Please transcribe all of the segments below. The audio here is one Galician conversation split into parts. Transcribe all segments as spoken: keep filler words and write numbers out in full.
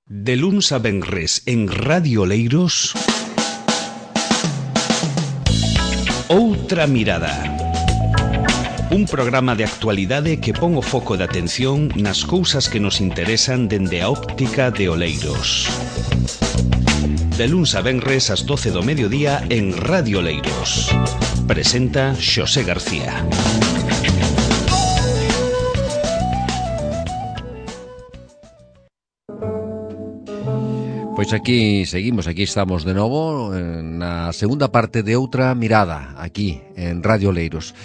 De luns a venres en Radio Oleiros, Outra Mirada. Un programa de actualidade que pon o foco de atención nas cousas que nos interesan dende a óptica de Oleiros. De luns a venres ás doce do mediodía en Radio Oleiros. Presenta Xosé García. Pois aquí seguimos, aquí estamos de novo na segunda parte de Outra Mirada, aquí en Radio Oleiros.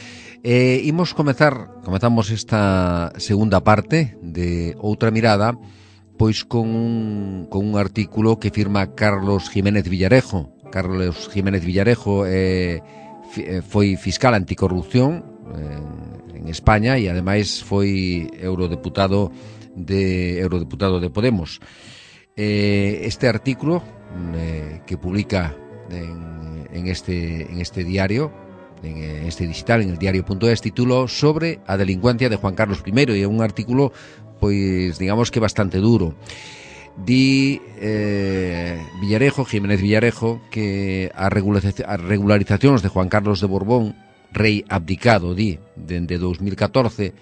Eh, imos comezar, comezamos esta segunda parte de Outra Mirada, pois con un, con un artículo que firma Carlos Jiménez Villarejo. Carlos Jiménez Villarejo eh, foi fiscal anticorrupción en, en España e ademais foi eurodeputado de eurodeputado de Podemos. Eh, este artículo eh, que publica en, en, este, en este diario, en este digital, en el diario.es, tituló Sobre a delincuencia de Juan Carlos primero, e é un artículo, pois, digamos que bastante duro. Di eh, Villarejo, Jiménez Villarejo, que as regularizacións de Juan Carlos de Borbón, rei abdicado, di, dende dos mil catorce,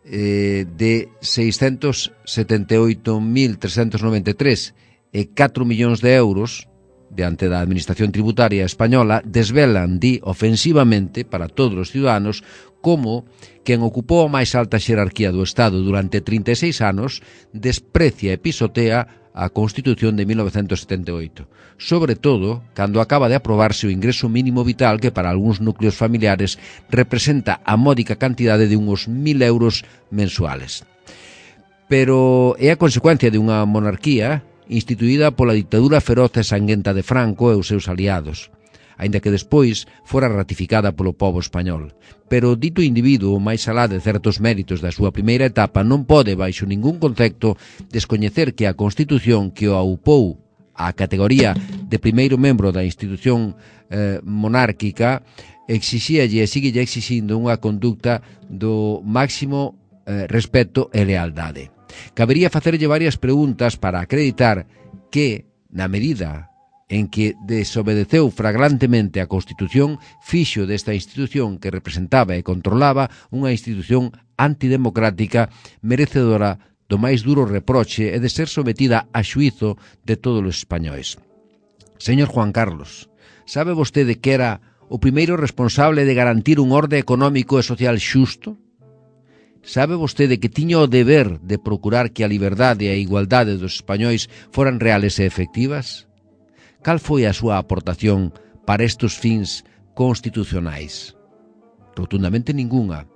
Eh, de seiscentos setenta e oito mil trescentos noventa e tres e catro millóns de euros diante da Administración Tributaria Española desvelan, di, ofensivamente para todos os ciudadanos como quen ocupou a máis alta xerarquía do Estado durante trinta e seis anos desprecia e pisotea a Constitución de mil novecentos setenta e oito, sobre todo cando acaba de aprobarse o ingreso mínimo vital que para algúns núcleos familiares representa a módica cantidade de uns mil euros mensuales. Pero é a consecuencia de unha monarquía instituída pola ditadura feroz e sanguenta de Franco e os seus aliados, aínda que despois fora ratificada polo pobo español. Pero dito individuo, máis alá de certos méritos da súa primeira etapa, non pode, baixo ningún concepto, descoñecer que a Constitución que o aupou á categoría de primeiro membro da institución eh, monárquica exixíalle e síguelle exixindo unha conducta do máximo eh, respeto e lealdade. Cabería facerlle varias preguntas para acreditar que, na medida en que desobedeceu flagrantemente a Constitución, fixo desta institución que representaba e controlaba unha institución antidemocrática merecedora do máis duro reproche e de ser sometida a xuízo de todos os españois. Señor Juan Carlos, sabe vostede que era o primeiro responsable de garantir un orde económico e social xusto? Sabe vostede que tiña o deber de procurar que a liberdade e a igualdade dos españois foran reales e efectivas? Cal foi a súa aportación para estes fins constitucionais? Rotundamente ningunha.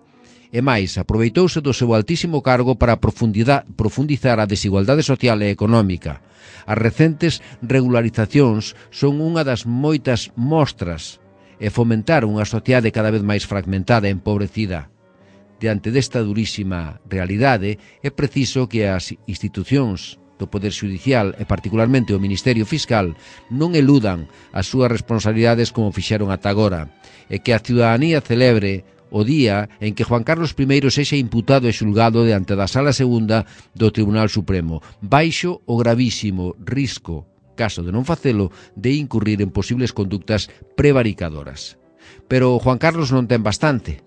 E máis, aproveitouse do seu altísimo cargo para profundizar a desigualdade social e económica. As recentes regularizacións son unha das moitas mostras e fomentar unha sociedade cada vez máis fragmentada e empobrecida. Diante desta durísima realidade, é preciso que as institucións do Poder Xudicial e particularmente o Ministerio Fiscal non eludan as súas responsabilidades como fixeron ata agora e que a ciudadanía celebre o día en que Juan Carlos primeiro sexa imputado e xulgado diante da Sala Segunda do Tribunal Supremo baixo o gravísimo risco, caso de non facelo, de incurrir en posibles conductas prevaricadoras. Pero Juan Carlos non ten bastante.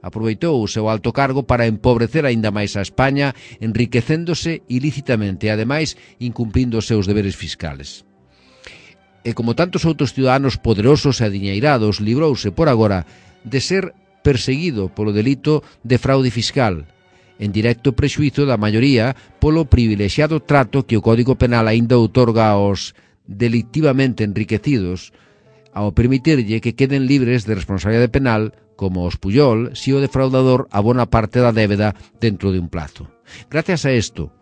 Aproveitou o seu alto cargo para empobrecer aínda máis a España, enriquecéndose ilícitamente e, ademais, incumprindo os seus deberes fiscales. E como tantos outros ciudadanos poderosos e adiñeirados, librouse por agora de ser perseguido polo delito de fraude fiscal, en directo prexuízo da maioría polo privilexiado trato que o Código Penal aínda outorga aos delictivamente enriquecidos, ao permitirlle que queden libres de responsabilidade penal como os Pujol, si o defraudador abona parte da débeda dentro de un plazo. Gracias a isto,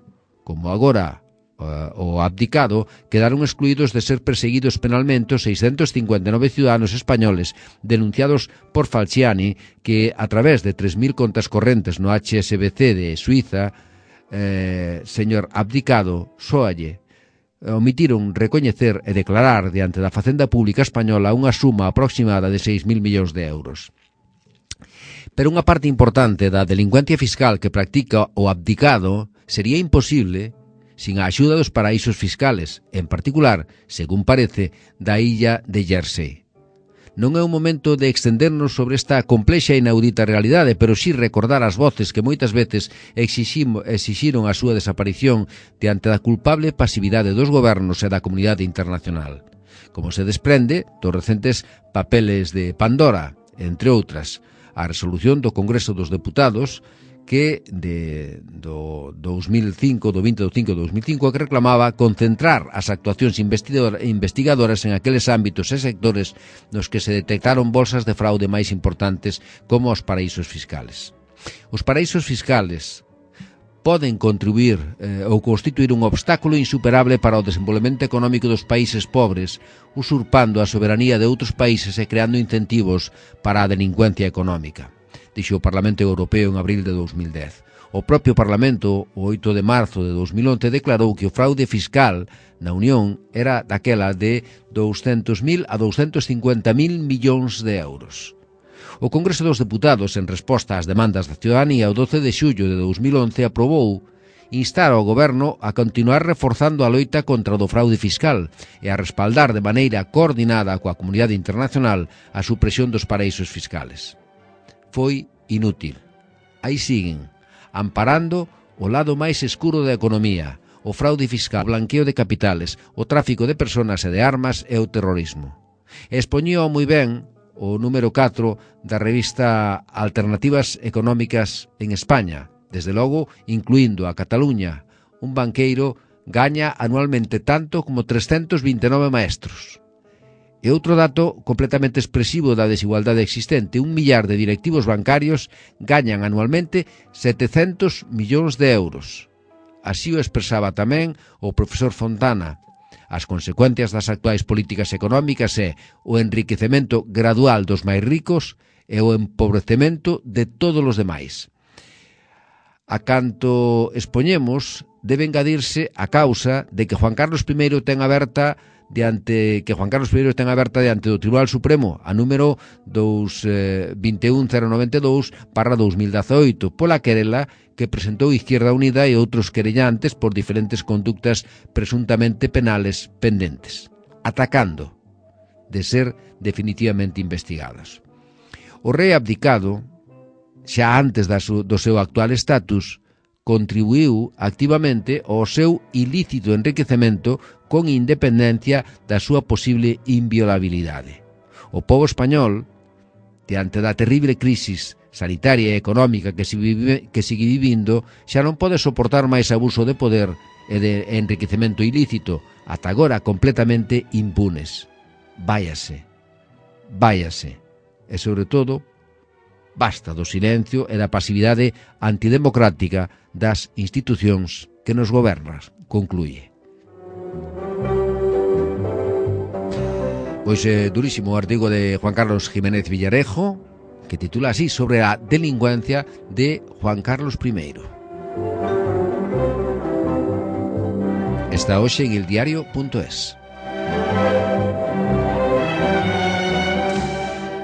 como agora uh, o abdicado, quedaron excluídos de ser perseguidos penalmente os seiscentos cincuenta e nove ciudadanos españoles denunciados por Falciani que, a través de tres mil contas correntes no H S B C de Suiza, eh, señor abdicado, sóalle, omitiron recoñecer e declarar diante da Facenda Pública Española unha suma aproximada de seis mil millóns de euros. Pero unha parte importante da delincuencia fiscal que practica o abdicado sería imposible sin a axuda dos paraísos fiscales, en particular, según parece, da illa de Jersey. Non é un momento de extendernos sobre esta complexa e inaudita realidade, pero sí recordar as voces que moitas veces exixiron a súa desaparición diante da culpable pasividade dos gobernos e da comunidade internacional. Como se desprende dos recentes papeles de Pandora, entre outras, a resolución do Congreso dos Deputados que de, do dos mil cinco, do vinte de cinco de dos mil cinco, que reclamaba concentrar as actuacións investigadoras en aqueles ámbitos e sectores nos que se detectaron bolsas de fraude máis importantes como os paraísos fiscales. Os paraísos fiscales poden contribuir eh, ou constituir un obstáculo insuperable para o desenvolvemento económico dos países pobres, usurpando a soberanía de outros países e creando incentivos para a delincuencia económica, dixo o Parlamento Europeo en abril de dos mil dez. O propio Parlamento, o oito de marzo de dos mil once, declarou que o fraude fiscal na Unión era daquela de douscentos mil a douscentos cincuenta mil millóns de euros. O Congreso dos Deputados, en resposta ás demandas da ciudadanía, o doce de xullo de dos mil once, aprobou instar ao Goberno a continuar reforzando a loita contra o fraude fiscal e a respaldar de maneira coordinada coa comunidade internacional a supresión dos paraísos fiscales. Foi inútil. Aí siguen, amparando o lado máis escuro da economía, o fraude fiscal, o blanqueo de capitales, o tráfico de personas e de armas e o terrorismo. Expoñía moi ben o número catro da revista Alternativas Económicas en España, desde logo incluindo a Cataluña. Un banqueiro gaña anualmente tanto como trescentos vinte e nove maestros. E outro dato completamente expresivo da desigualdade existente: un millar de directivos bancarios gañan anualmente setecentos millóns de euros. Así o expresaba tamén o profesor Fontana. As consecuencias das actuais políticas económicas é o enriquecemento gradual dos máis ricos e o empobrecemento de todos os demais. A canto expoñemos, debe engadirse a causa de que Juan Carlos I ten aberta diante que Juan Carlos I ten aberta diante do Tribunal Supremo a número dous vinte e un cero noventa e dous barra dos mil dezaoito pola querela que presentou Izquierda Unida e outros querellantes por diferentes conductas presuntamente penales pendentes, atacando de ser definitivamente investigados. O rei abdicado, xa antes da su, do seu actual estatus, contribuiu activamente ao seu ilícito enriquecemento con independencia da súa posible inviolabilidade. O pobo español, diante da terrible crisis sanitaria e económica que, se vive, que sigue vivindo, xa non pode soportar máis abuso de poder e de enriquecemento ilícito, ata agora completamente impunes. Váyase, váyase, e sobre todo, basta do silencio e da pasividade antidemocrática das institucións que nos gobernan, concluye. Pois é durísimo o artigo de Juan Carlos Jiménez Villarejo, que titula así, sobre a delincuencia de Juan Carlos I. Está hoxe en el diario punto es.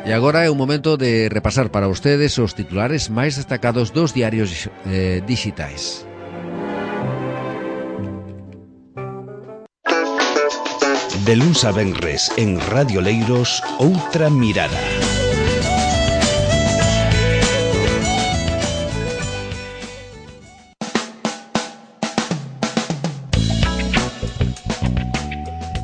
E agora é un momento de repasar para ustedes os titulares máis destacados dos diarios eh, digitais. De luns a venres en Radio Leiros, Outra Mirada.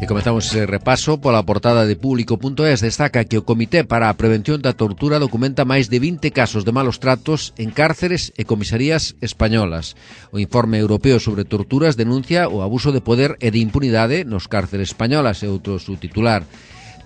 E comezamos ese repaso pola portada de público punto es. Destaca que o Comité para a Prevención da Tortura documenta máis de vinte casos de malos tratos en cárceres e comisarías españolas. O informe europeo sobre torturas denuncia o abuso de poder e de impunidade nos cárceres españolas, e outro subtitular.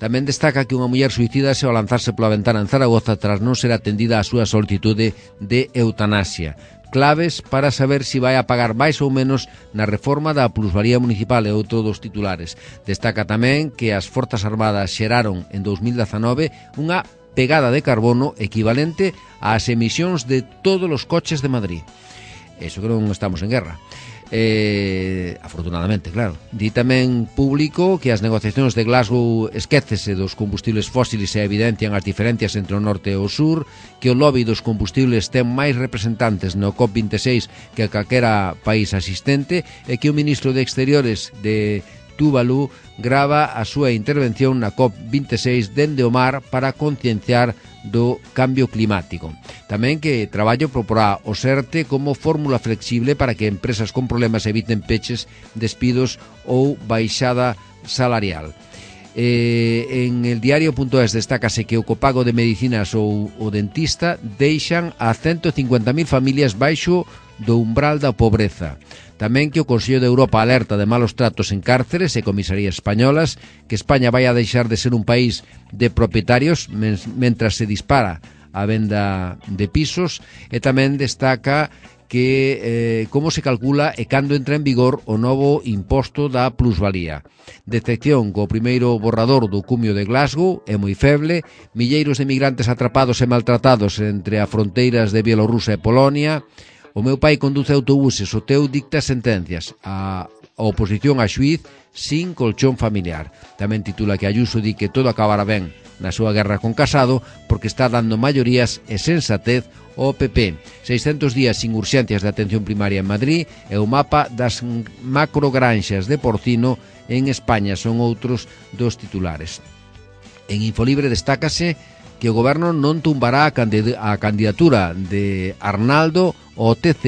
Tamén destaca que unha muller suicídase ao lanzarse pola ventana en Zaragoza tras non ser atendida a súa solicitude de eutanasia. Claves para saber se si vai a pagar máis ou menos na reforma da plusvalía municipal, e outro dos titulares. Destaca tamén que as Forzas Armadas xeraron en dos mil dezanove unha pegada de carbono equivalente ás emisións de todos os coches de Madrid. Eso que non estamos en guerra. Eh, afortunadamente, claro. Di tamén Público que as negociacións de Glasgow esquécese dos combustibles fósiles e evidencian as diferencias entre o norte e o sur, que o lobby dos combustibles ten máis representantes no COP veintiséis que calquera país asistente e que o ministro de Exteriores de Tuvalu grava a súa intervención na COP veintiséis dende o mar para concienciar do cambio climático. Tamén que traballo proporá o SERTE como fórmula flexible para que empresas con problemas eviten peches, despidos ou baixada salarial. Eh, en el diario.es destácase que o copago de medicinas ou o dentista deixan a ciento cincuenta mil familias baixo do umbral da pobreza. Tamén que o Consello de Europa alerta de malos tratos en cárceres e comisarías españolas, que España vai a deixar de ser un país de propietarios mentras se dispara a venda de pisos, e tamén destaca que eh, como se calcula e cando entra en vigor o novo imposto da plusvalía. Detección co primeiro borrador do cumio de Glasgow é moi feble, milleiros de migrantes atrapados e maltratados entre as fronteiras de Bielorrusia e Polonia. O meu pai conduce autobuses, o teu dicta sentencias. A oposición a xuiz sin colchón familiar. Tamén titula que Ayuso di que todo acabará ben na súa guerra con Casado porque está dando maiorías e sensatez ao P P. seiscentos días sin urxencias de atención primaria en Madrid e o mapa das macrogranxas de porcino en España son outros dos titulares. En Infolibre destácase que o goberno non tumbará a candidatura de Arnaldo ao T C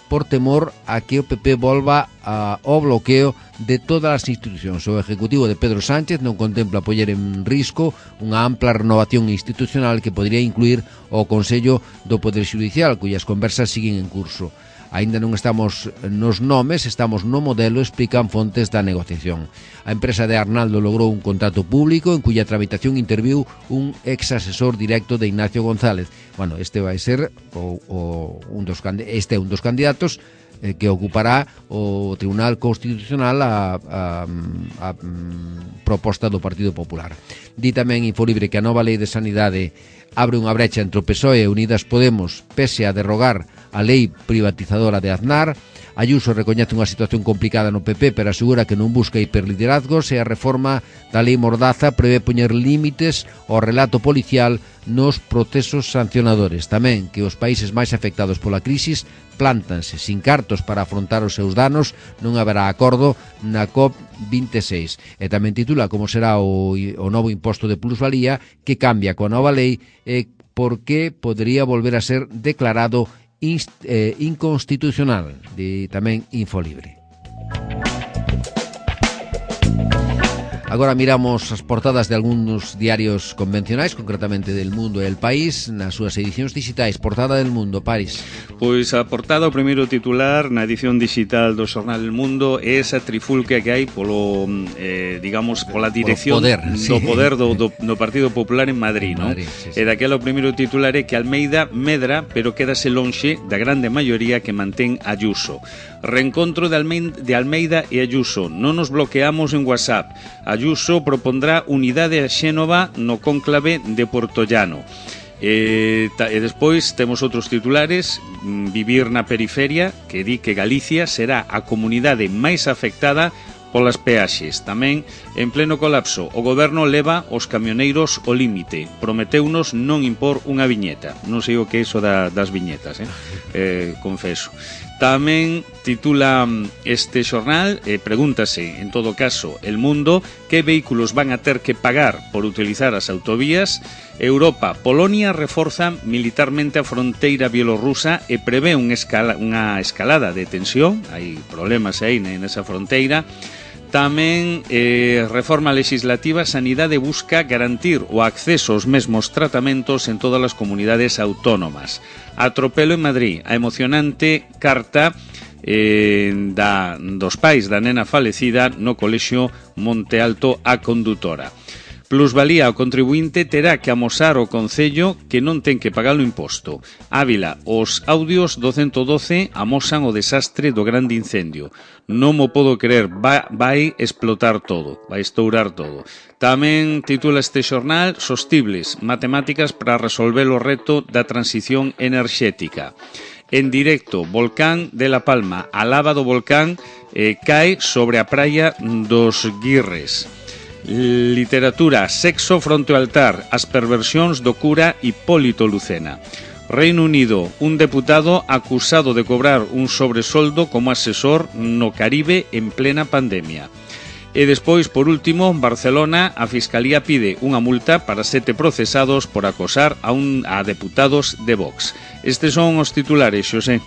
por temor a que o P P volva ao bloqueo de todas as institucións. O Ejecutivo de Pedro Sánchez non contempla poñer en risco unha ampla renovación institucional que podría incluir o Consello do Poder Xudicial, cuyas conversas siguen en curso. Aínda non estamos nos nomes, estamos no modelo, explican fontes da negociación. A empresa de Arnaldo logrou un contrato público en cuya tramitación interviu un ex asesor directo de Ignacio González. Bueno, este vai ser o, o, un dos, este é un dos candidatos eh, que ocupará o Tribunal Constitucional a, a, a, a proposta do Partido Popular. Di tamén Infolibre que a nova lei de sanidade abre unha brecha entre o P S O E e Unidas Podemos pese a derrogar a lei privatizadora de Aznar. Ayuso recoñece unha situación complicada no P P pero asegura que non busca hiperliderazgos e a reforma da lei Mordaza prevé poñer límites ao relato policial nos procesos sancionadores. Tamén que os países máis afectados pola crisis plántanse sin cartos para afrontar os seus danos, non haberá acordo na COP veintiséis. E tamén titula como será o, o novo imposto de plusvalía que cambia coa nova lei e porque podría volver a ser declarado inst, eh, inconstitucional. De tamén Infolibre. Agora miramos as portadas de algúns diarios convencionais, concretamente del Mundo e El País, nas súas edicións digitais. Portada del Mundo, Paris. Pois a portada, o primeiro titular na edición digital do xornal El Mundo é esa trifulca que hai polo, eh, digamos, pola dirección poder, do sí. poder do, do, do Partido Popular en Madrid, non? Madrid, sí, sí. E daquela o primeiro titular é que Almeida medra, pero quédase lonxe da grande maioría que mantén Ayuso. Reencontro de Almeida, de Almeida e Ayuso. Non nos bloqueamos en WhatsApp. Ayuso propondrá unidade a Xénova no cónclave de Portollano. E, ta, e despois temos outros titulares. Vivir na periferia, que di que Galicia será a comunidade máis afectada polas peaxes. Tamén, en pleno colapso, o goberno leva os camioneiros ao límite. Prometeunos non impor unha viñeta. Non sei o que é iso da, das viñetas, eh? eh confeso. Tamén titula este xornal, e pregúntase, en todo caso, El Mundo, que vehículos van a ter que pagar por utilizar as autovías. Europa, Polonia reforza militarmente a fronteira bielorrusa e prevé un escala, unha escalada de tensión, hai problemas aí nesa fronteira. Tamén eh, reforma legislativa, Sanidade busca garantir o acceso aos mesmos tratamentos en todas as comunidades autónomas. Atropelo en Madrid, a emocionante carta eh, da, dos pais da nena falecida no colexio Monte Alto a condutora. Plusvalía, o contribuinte terá que amosar ao Concello que non ten que pagar o imposto. Ávila, os audios do ciento doce amosan o desastre do grande incendio. Non mo podo creer, vai, vai explotar todo, vai estourar todo. Tamén titula este xornal Sostibles, matemáticas para resolver o reto da transición enerxética. En directo, volcán de La Palma, a lava do volcán eh, cae sobre a praia dos Guirres. Literatura, sexo fronte ao altar, as perversións do cura Hipólito Lucena. Reino Unido, un deputado acusado de cobrar un sobresoldo como asesor no Caribe en plena pandemia. E despois, por último, Barcelona, a Fiscalía pide unha multa para sete procesados por acosar a, un, a deputados de Vox. Estes son os titulares, Xosé.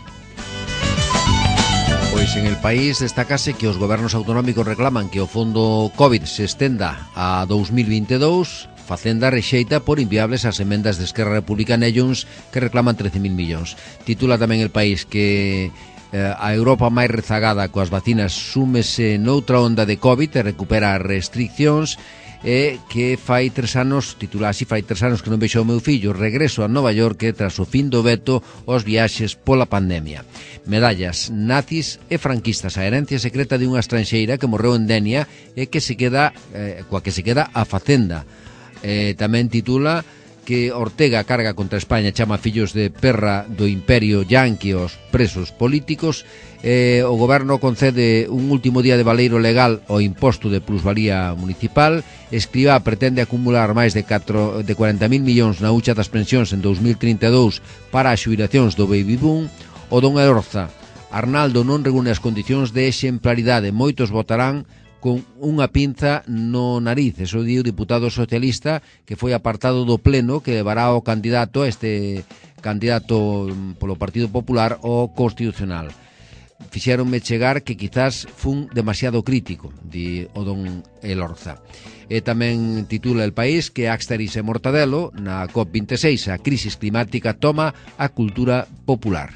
Pois en el país destacase que os gobernos autonómicos reclaman que o fondo COVID se estenda a dous mil vinte e dous. Facenda rexeita por inviables as emendas de Esquerra Republicana e Junts que reclaman trece mil millóns. Titula tamén el país que eh, a Europa máis rezagada coas vacinas súmese noutra onda de COVID e recupera as restriccións e que fai tres anos, titula así, fai tres anos que non vexo o meu fillo, regreso a Nova York tras o fin do veto aos viaxes pola pandemia. Medallas, nazis e franquistas, a herencia secreta de unha estranxeira que morreu en Denia e que se queda, eh, coa que se queda a Facenda. Eh, tamén titula que Ortega carga contra España, chama fillos de perra do imperio yanqui aos presos políticos. Eh, o goberno concede un último día de valeiro legal ao imposto de plusvalía municipal. Escrivá pretende acumular máis de, catro, de cuarenta mil millóns na hucha das pensións en dous mil trinta e dous para as xubilacións do baby boom. O don Elorza, Arnaldo non reúne as condicións de exemplaridade, moitos votarán con unha pinza no nariz. Eso di o diputado socialista que foi apartado do pleno que levará o candidato, este candidato polo Partido Popular, ao Constitucional. Fixéronme chegar que quizás fun demasiado crítico, di o don Elorza. E tamén titula El País que Axteris e Mortadelo na COP veintiséis, a crisis climática toma a cultura popular.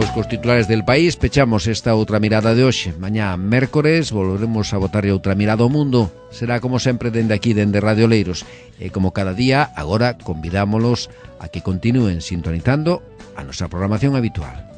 Pois cos titulares del País pechamos esta outra mirada de hoxe. Mañá, mércores, volveremos a botarlle outra mirada ao mundo. Será como sempre dende aquí, dende Radio Oleiros. E como cada día, agora convidámolos a que continúen sintonizando a nosa programación habitual.